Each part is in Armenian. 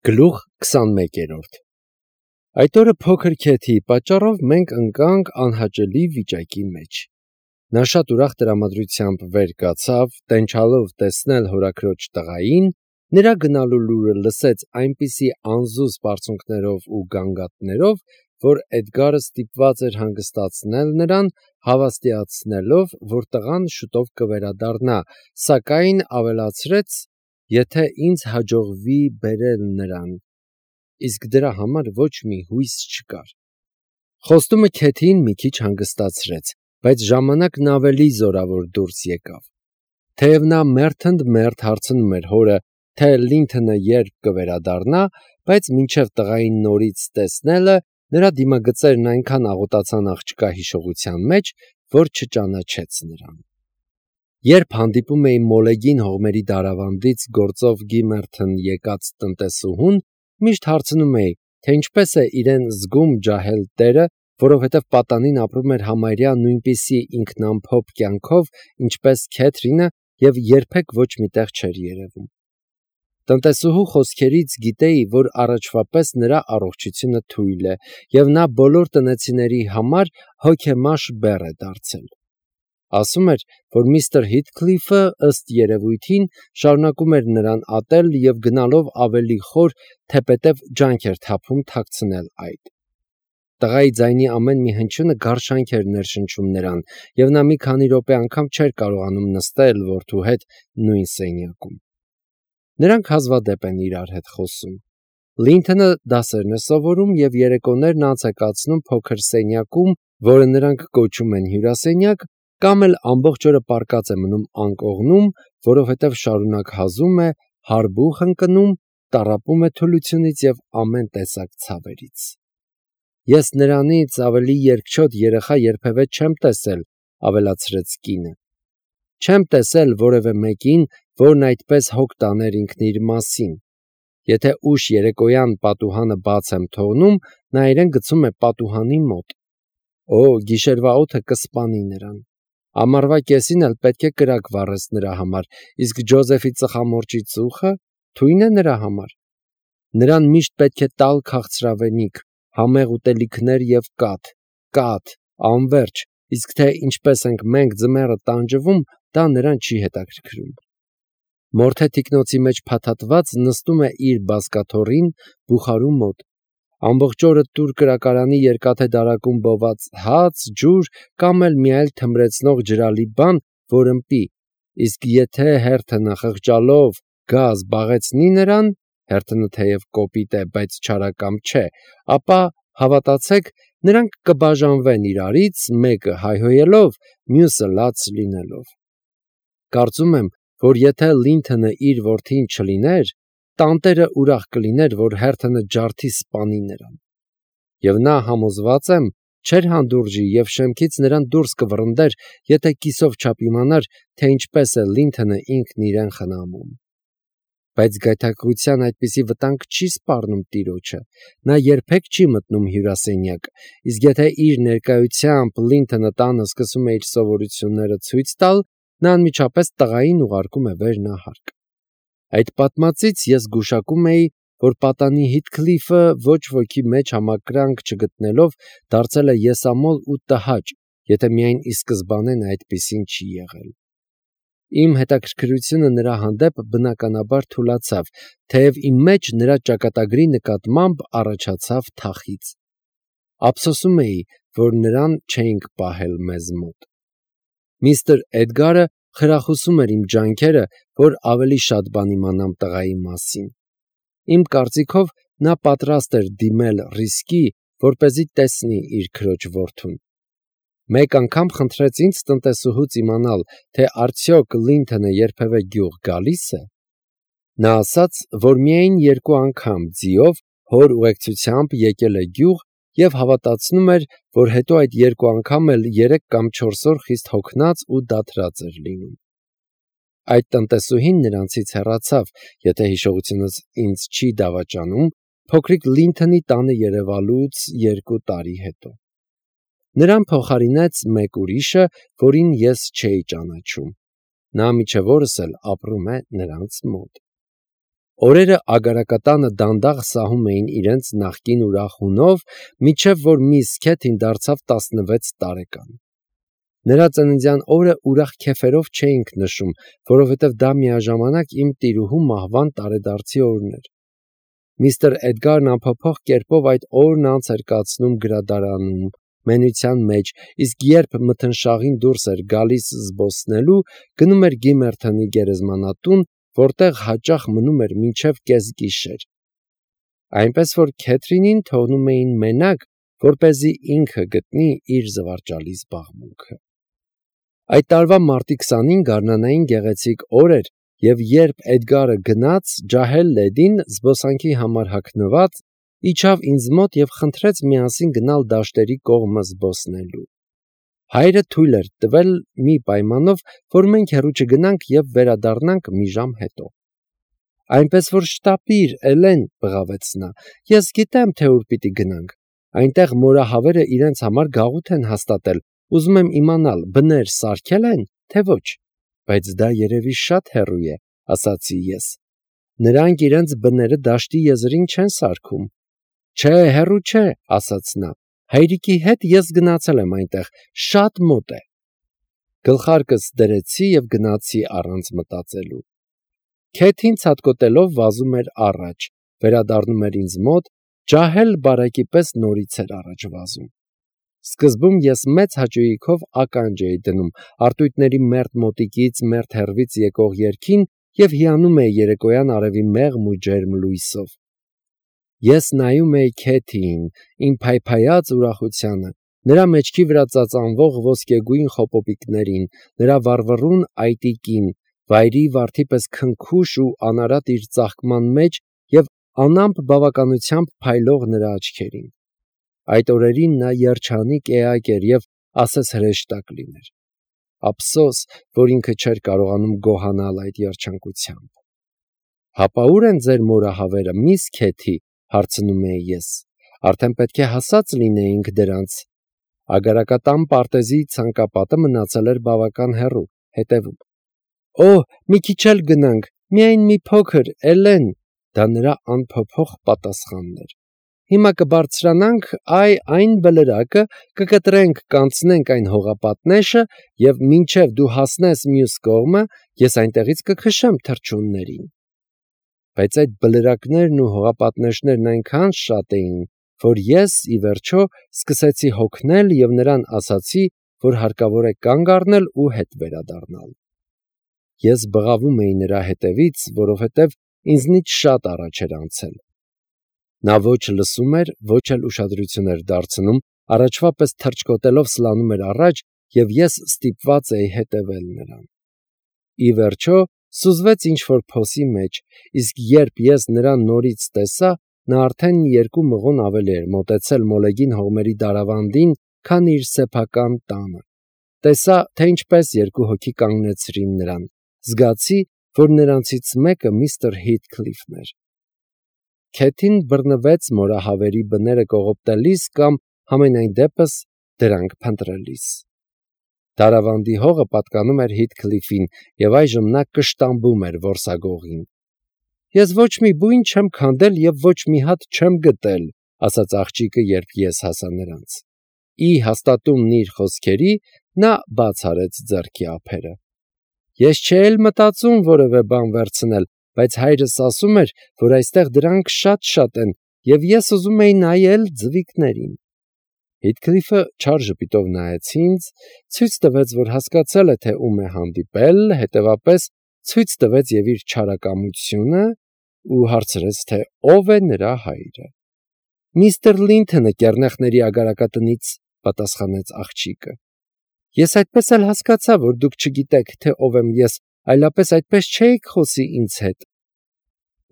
Գլուխ 21 Այդ օրը փոքր քեթի պատճառով մենք ընկանք անհաճելի վիճակի մեջ։ Նա շատ ուրախ տրամադրությամբ վեր կացավ, տենչալով տեսնել հորաքրոջ տղային, նրա գնալու լուրը լսեց այնպիսի անզուզ բարձունքներով ու գանգատներով, որ Էդգարը ստիպված էր հանգստացնել նրան, հավաստիացնելով, որ տղան շուտով կվերադառնա, սակայն ավելացրեց. եթե ինձ հաջողվի բերել նրան, իսկ դրա համար ոչ մի հույս չկար։ Խոստումը քեթին մի քիչ հանգստացրեց, բայց ժամանակն ավելի զորավոր դուրս եկավ։ Թեև նա մերթընդմերթ հարցնում էր հորը, թե Լինթոնը երբ կվերադառնա, բայց մինչև տղային նորից տեսնելը, նրա դիմագծերն այնքան աղոտացան աղջկա հիշողության մեջ, որ չճանաչեց նրան։ Երբ հանդիպում էի Մոլեգին հողմերի դարավանդից գործով Գիմերթն եկած տնտեսուհուն, միշտ հարցնում էի, թե ինչպես է իրեն զգում ջահել տերը, որովհետև պատանին ապրում էր համարյա նույնպիսի ինքնամփոփ կյանքով, ինչպես Քեթրինը, և երբեք ոչ մի տեղ չէր երևում։ Տնտեսուհու խոսքերից գիտեի, որ առաջվա պես նրա առողջությունը թույլ է, և նա բոլոր տնեցիների համար հոգեմաշ բեռ է դարձել։ Ասում էր, որ միստր Հիթքլիֆը, ըստ երևույթին, շարունակում էր նրան ատել և գնալով ավելի խոր, թեպետև ջանք էր թափում թաքցնել այդ։ Տղայի ձայնի ամեն մի հնչյունը գարշանք էր ներշնչում նրան, և նա մի քանի րոպե անգամ չէր կարողանում նստել որդու հետ նույն սենյակում։ Նրանք հազվադեպ են իրար հետ խոսում։ Լինթոնը դասերն է սովորում և երեկոներն անց է կացնում փոքր սենյակում, որը նրանք կոչում են հյուրասենյակ, կամ էլ ամբողջ օրը պառկած է մնում անկողնում, որովհետև շարունակ հազում է, հարբուխ ընկնում, տառապում է թուլությունից և ամեն տեսակ ցավերից։ Ես նրանից ավելի երկչոտ երեխա երբևէ չեմ տեսել, ավելացրեց կինը։ Չեմ տեսել որևէ մեկին, որն այդպես հոգ տաներ ինքն իր մասին։ Եթե ուշ երեկոյան պատուհանը բաց եմ թողնում, նա իրեն գցում է պատուհանի մոտ։ Օ, գիշերվա օդը կսպանի նրան։ Ամառվա կեսին էլ պետք է կրակ վառես նրա համար, իսկ Ջոզեֆի ծխամորճի ծուխը թույն է նրա համար։ Նրան միշտ պետք է տալ քաղցրավենիք, համեղ ուտելիքներ և կաթ, անվերջ, իսկ թե ինչպես ենք մենք ձմեռը տանջվում, դա նրան չի հետաքրքրում։ Մորթե թիկնոցի մեջ փաթաթված նստում է իր բազկաթոռին, բուխարու մոտ։ Ամբողջ օրը տուր կրակարանի երկաթե դարակում բոված հաց, ջուր կամ էլ մի այլ թմրեցնող ջրալի բան, որ ըմպի, իսկ եթե հերթը խղճալով գա զբաղեցնի նրան, հերթը թեև կոպիտ է, բայց չարակամ չէ, ապա, հավատացեք, նրանք կբաժանվեն իրարից, մեկը հայհոյելով, մյուսը լաց լինելով։ Կարծում եմ, որ եթե Լինթոնը իր որդին չլիներ, տանտերը ուրախ կլիներ, որ հերթը ջարդի սպանի նրան։ Եվ նա, համոզված եմ, չէր հանդուրժի և շեմքից նրան դուրս կվռնդեր, եթե կիսով չափ իմանար, թե ինչպես է Լինթոնը ինքն իրեն խնամում։ Բայց գայթակղության այդպիսի վտանգ չի սպառնում տիրոջը, նա երբեք չի մտնում հյուրասենյակ, իսկ եթե իր ներկայությամբ Լինթոնը տանը սկսում է իր սովորությունները ցույց տալ, նա անմիջապես տղային ուղարկում է վեր նահարկ։ Այդ պատմածից ես գուշակում էի, որ պատանի Հիթքլիֆը ոչ ոքի մեջ համակրանք չգտնելով դարձել է եսամոլ ու տհաճ, եթե միայն ի սկզբանե նա այդպիսին չի եղել։ Իմ հետաքրքրությունը նրա հանդեպ բնականաբար թուլացավ, թեև իմ մեջ նրա ճակատագրի նկատմամբ առաջացավ թախիծ։ Ափսոսում էի, որ նրան չէինք պահել մեզ մոտ։ Միստր Էդգարը խրախուսում էր իմ ջանքերը, որ ավելի շատ բան իմանամ տղայի մասին։ Իմ կարծիքով նա պատրաստ էր դիմել ռիսկի, որպեսզի տեսնի իր քրոջ որդուն։ Մեկ անգամ խնդրեց ինձ տնտեսուհուց իմանալ, թե արդյոք Լինթոնը երբևէ գյուղ գալի՞ս է։ Նա ասաց, որ միայն 2 անգամ ձիով հոր ուղեկցությամբ եկել է գյուղ և հավատացնում էր, որ հետո այդ 2 անգամ էլ 3 կամ 4 օր խիստ հոգնած ու դադարած էր լինում։ Այդ տնտեսուհին նրանցից հեռացավ, եթե հիշողությունս ինձ չի դավաճանում, փոքրիկ Լինթոնի տանը երևալուց 2 տարի հետո։ Նրան փոխարինեց մեկ ուրիշը, որին ես չէի ճանաչում։ Նա մինչև օրս էլ ապրում է նրանց մոտ։ Օրերը ագարակատանը դանդաղ սահում էին իրենց նախկին ուրախ հունով, մինչև որ միս Քեթին դարձավ 16 տարեկան։ Նրա ծննդյան օրը ուրախ քեֆերով չէինք նշում, որովհետև դա միաժամանակ իմ տիրուհու մահվան տարեդարձի օրն էր։ Միստր Էդգարն անփոփոխ կերպով այդ օրն անց էր կացնում գրադարանում, մենության մեջ, իսկ երբ մթնշաղին դուրս էր գալիս զբոսնելու, գնում էր Գիմերթոնի գերեզմանատուն, որտեղ հաճախ մնում էր մինչև կեսգիշեր։ Այնպես որ Քեթրինին թողնում էին մենակ, որպեսզի ինքը գտնի իր զվարճալի զբաղմունքը։ Այդ տարվա մարտի 20-ին գարնանային գեղեցիկ օր էր, եւ երբ Էդգարը գնաց, ջահել լեդին զբոսանքի համար հագնված, իջավ ինձ մոտ եւ խնդրեց միասին գնալ դաշտերի կողմը զբոսնելու։ Հայրը թույլ էր տվել մի պայմանով, որ մենք հեռու չգնանք եւ վերադառնանք մի ժամ հետո։ Այնպես որ շտապիր, Էլեն, բղավեց նա, ես գիտեմ, թե ուր պիտի գնանք։ Այնտեղ մորահավերը իրենց համար գաղութ են հաստատել, ուզում եմ իմանալ, բներ սարքել են, թե ոչ։ Բայց դա երևի շատ հեռու է, ասացի ես։ Նրանք իրենց բները դաշտի եզրին չեն սարքում։ Չէ, հեռու չէ, ասաց նա։ Հայրիկի հետ ես գնացել եմ այնտեղ, շատ մոտ է։ Գլխարկս դրեցի եւ գնացի առանց մտածելու։ Քեթին ցատկոտելով վազում էր առաջ, վերադառնում էր ինձ մոտ, ջահել բարակի պես նորից էր առաջ վազում։ Սկզբում ես մեծ հաճույքով ականջ էի դնում արտույտների մերթ մոտիկից, մերթ հեռվից եկող երգին եւ հիանում էի երեկոյան արևի մեղմ ու ջերմ լույսով։ Ես նայում էի Քեթիին, իմ փայփայած ուրախությանը, նրա մեջքի վրա ծածանվող ոսկեգույն խոպոպիկներին, նրա վառվռուն այտիկին, վայրի վարդի պես քնքուշ ու անարատ իր ծաղկման մեջ եւ անամպ բավականությամբ փայլող նրա աչքերին։ Այդ օրերին նա երջանիկ էակ էր եւ ասես հրեշտակ լիներ։ Ափսոս, որ ինքը չէր կարողանում գոհանալ այդ երջանկությամբ։ Հապա ուր են ձեր մորահավերը, միս Քեթի, հարցնում էի ես։ Արդեն պետք է հասած լինեինք դրանց։ Ագարակատան պարտեզի ցանկապատը մնացել էր բավական հեռու, հետևում։ Օ, մի քիչ էլ գնանք, միայն մի փոքր, Էլեն, դա նրա անփոփոխ պատասխանն էր։ Հիմա կբարձրանանք այն բլրակը, կկտրենք, կանցնենք այն հողապատնեշը եւ մինչեւ դու հասնես մյուս կողմը, ես այնտեղից կքշեմ թռչուններին։ Բայց այդ բլրակներն ու հողապատնեշներն այնքան շատ էին, որ ես, ի վերջո, սկսեցի հոգնել եւ նրան ասացի, որ հարկավոր է կանգ առնել ու հետ վերադառնալ։ Ես բղավում էի նրա հետևից, որովհետեւ ինձնից շատ առաջ էր անցել։ Նա ոչ լսում էր, ոչ էլ ուշադրություն էր դարձնում, առաջվա պես թռչկոտելով սլանում էր առաջ եւ ես ստիպված էի հետևել նրան։ Ի վերջո սուզվեց ինչ-որ փոսի մեջ, իսկ երբ ես նրան նորից տեսա, նա արդեն 2 մղոն ավելի էր մոտեցել մոլեգին հողմերի դարավանդին, քան իր սեփական տանը։ Տեսա, թե ինչպես 2 հոգի կանգնեցրին նրան։ Զգացի, որ նրանցից մեկը միստր Հիթքլիֆն էր։ Քեթին բռնվեց մորահավերի բները կողոպտելիս կամ համենայն դեպս դրանք փնտրելիս։ Դարավանդի հողը պատկանում էր Հիթքլիֆին եւ այժմ նա կշտամբում էր որսագողին։ Ես ոչ մի բույն չեմ քանդել եւ ոչ մի հատ չեմ գտել, ասաց աղջիկը, երբ ես հասա նրանց։ Ի հաստատումն իր խոսքերի նա բաց արեց ձեռքի ափերը։ Ես չէի մտածում որևէ բան վերցնել, բայց հայրս ասում էր, որ այստեղ դրանք շատ են եւ ես ուզում էի նայել ձվիկներին։ Հիթքլիֆը չար ժպիտով նայեց ինձ, ցույց տվեց, որ հասկացել է, թե ում է հանդիպել, հետևապես ցույց տվեց եւ իր չարակամությունը ու հարցրեց, թե ով է նրա հայրը։ Միստր Լինթոնը կեռնեխների ագարակատնից, պատասխանեց աղջիկը։ Ես այդպես էլ հասկացա, որ դուք չգիտեք, թե ով եմ ես, այլապես այդպես չէիք խոսի ինձ հետ։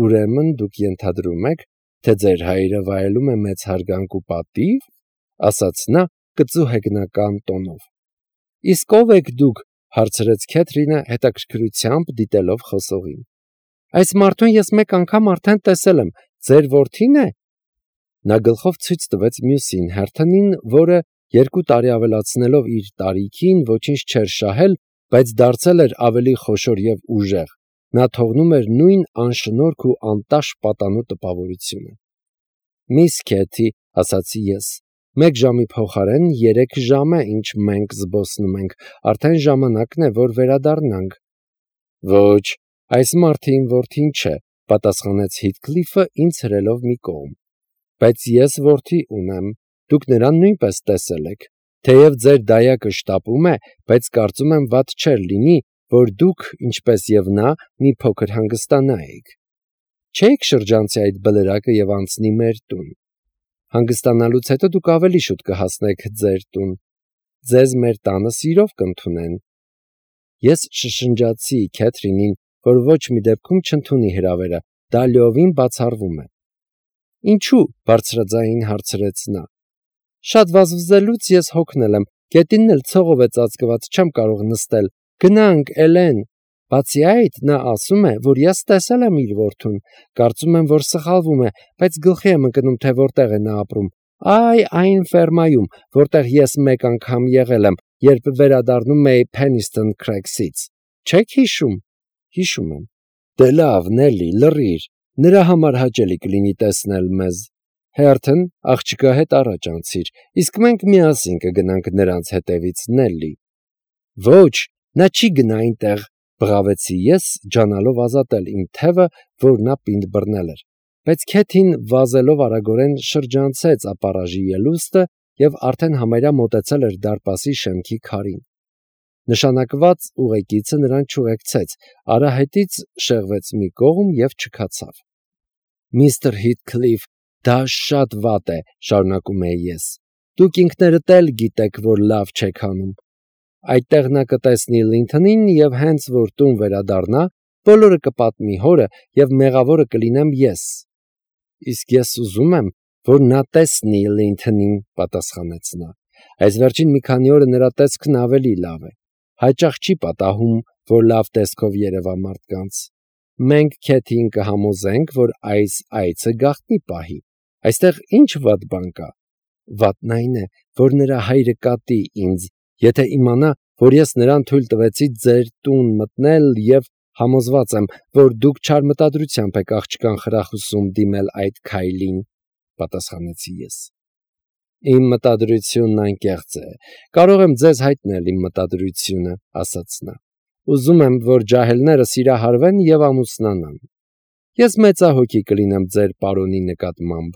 Ուրեմն դուք ենթադրում եք, թե ձեր հայրը վայելում է մեծ հարգանք ու պատիվ, ասաց նա կծու հեգնական տոնով։ Իսկ ով եք դուք, հարցրեց Քեթրինը հետաքրքրությամբ դիտելով խոսողին։ Այս մարդուն ես մեկ անգամ արդեն տեսել եմ, ձեր որդին է։ Նա գլխով ցույց տվեց մյուսին, Հերթոնին, որը 2 տարի ավելացնելով իր տարիքին ոչինչ չէր շահել, բայց դարձել էր ավելի խոշոր եւ ուժեղ, նա թողնում էր նույն անշնորհք ու անտաշ պատանու տպավորությունը։ «Միս Քեթի», ասացի ես, 1 ժամի փոխարեն 3 ժամ է, ինչ մենք զբոսնում ենք, արդեն ժամանակն է, որ վերադառնանք։ «Ոչ, այս մարդը իմ որդին չէ», պատասխանեց Հիթքլիֆը ինձ հրելով մի կողմ։ «Բայց ես որդի ունեմ, դուք նրան նույնպես տեսել եք։ Թեև ձեր դայակը շտապում է, բայց կարծում եմ վատ չէր լինի, որ դուք, ինչպես եւ նա, մի փոքր հանգստանայիք։ Չէիք շրջանցի այդ բլրակը եւ անցնի մեր տուն։ Հանգստանալուց հետո դուք ավելի շուտ կհասնեք ձեր տուն։ Ձեզ մեր տանը սիրով կընդունեն»։ Ես շշնջացի Քեթրինին, որ ոչ մի դեպքում չընդունի հրավերը, դա լիովին բացառվում է։ «Ինչու՞», բարձրաձայն հարցրեց նա։ «Շատ վազվզելուց ես հոգնել եմ, գետինն էլ ցողով է ծածկված, չեմ կարող նստել։ Գնանք, Էլեն»։ Բացի այդ, նա ասում է, որ ես տեսել եմ իր որդուն, կարծում եմ, որ սխալվում է, բայց գլխի եմ ընկնում, թե որտեղ է նա ապրում։ Այ այն ֆերմայում, որտեղ ես 1 անգամ եղել եմ, երբ վերադառնում էի Փենիստոն Քրեքսից։ Չեք հիշում։ Հիշում եմ։ Դե լավ, Նելի, լռիր, նրա համար հաճելի կլինի տեսնել մեզ։ Հերթն աղջկա հետ առաջ անցիր, իսկ մենք միասին կգնանք նրանց հետևից, Նելի։ Ոչ, նա չի գնա այնտեղ, բղավեցի ես, ջանալով ազատել իմ թևը, որ նա պինդ բռնել էր։ Բայց Քեթին վազելով արագորեն շրջանցեց ապառաժի ելուստը եւ արդեն համարյա մոտեցել էր դարպասի շեմքի քարին։ Նշանակված ուղեկիցը նրան չուղեկցեց, արահետից շեղվեց մի կողմ եւ չքացավ։ Միստր Հիթքլիֆ, դա շատ վատ է, շարունակում էի ես։ Դուք ինքներդ էլ գիտեք, որ լավ չեք անում։ Այդտեղ նա կտեսնի Լինթոնին եւ հենց որ տուն վերադառնա, բոլորը կպատմի հորը եւ մեղավորը կլինեմ ես։ Իսկ ես ուզում եմ, որ նա տեսնի Լինթոնին, պատասխանեց նա։ Այս վերջին մի քանի օրը նրա տեսքն ավելի լավ է։ Հաճախ չի պատահում, որ լավ տեսքով երևա մարդկանց։ Մենք Քեթին կհամոզենք, որ այս այցը գաղտնի պահի։ Այստեղ ինչ վատ բան կա։ Վատն այն է, որ նրա հայրը կատի ինձ, եթե իմանա, որ ես նրան թույլ տվեցի ձեր տուն մտնել եւ համոզված եմ, որ դուք չար մտադրությամբ եք աղջկան խրախուսում դիմել այդ քայլին, պատասխանեցի ես։ Իմ մտադրությունն անկեղծ է։ Կարող եմ ձեզ հայտնել իմ մտադրությունը, ասաց նա։ Ուզում եմ, որ ջահելները սիրահարվեն եւ ամուսնանան։ Ես մեծահոգի կլինեմ ձեր պարոնի նկատմամբ։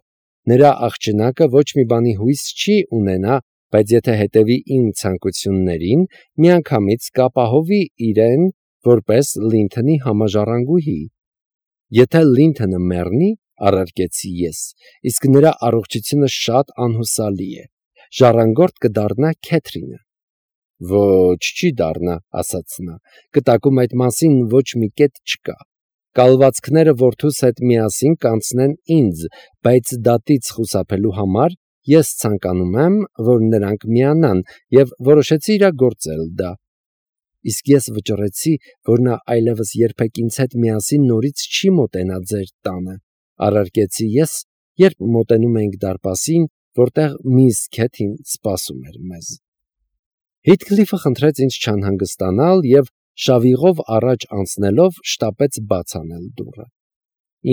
Նրա աղջնակը ոչ մի բանի հույս չի ունենա, բայց եթե հետևի իմ ցանկություններին, միանգամից կապահովի իրեն որպես Լինթոնի համաժառանգուհի։ Եթե Լինթոնը մեռնի, առարկեցի ես, իսկ նրա առողջությունը շատ անհուսալի է, ժառանգորդ կդառնա Քեթրինը։ Ոչ, չի դառնա, ասաց նա, կտակում այդ մասին ոչ մի կետ չկա։ Կալվածքները որդուս հետ միասին կանցնեն ինձ, բայց դատից խուսափելու համար ես ցանկանում եմ, որ նրանք միանան եւ որոշեցի իրագործել դա։ Իսկ ես վճռեցի, որ նա այլևս երբեք ինձ հետ միասին նորից չի մոտենա ձեր տանը, առարկեցի ես, երբ մոտենում էինք դարպասին, որտեղ միս Քեթին սպասում էր մեզ։ Հիթքլիֆը խնդրեց ինձ չանհանգստանալ եւ շավիղով առաջ անցնելով շտապեց բաց անել դուռը։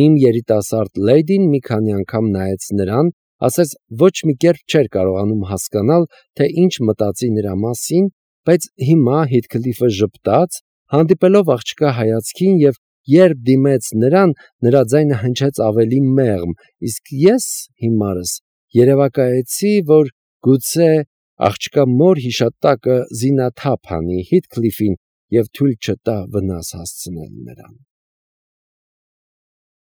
Իմ երիտասարդ լեյդին մի քանի անգամ նայեց նրան, ասես ոչ մի կերպ չէր կարողանում հասկանալ, թե ինչ մտածի նրա մասին, բայց հիմա Հիթքլիֆը ժպտաց, հանդիպելով աղջկա հայացքին եւ երբ դիմեց նրան, նրա ձայնը հնչեց ավելի մեղմ, իսկ ես հիմարս երևակայեցի, որ գուցե աղջկա մոր հիշատակը զինաթափ անի Հիթքլիֆին եւ թույլ չտա վնաս հասցնել նրան։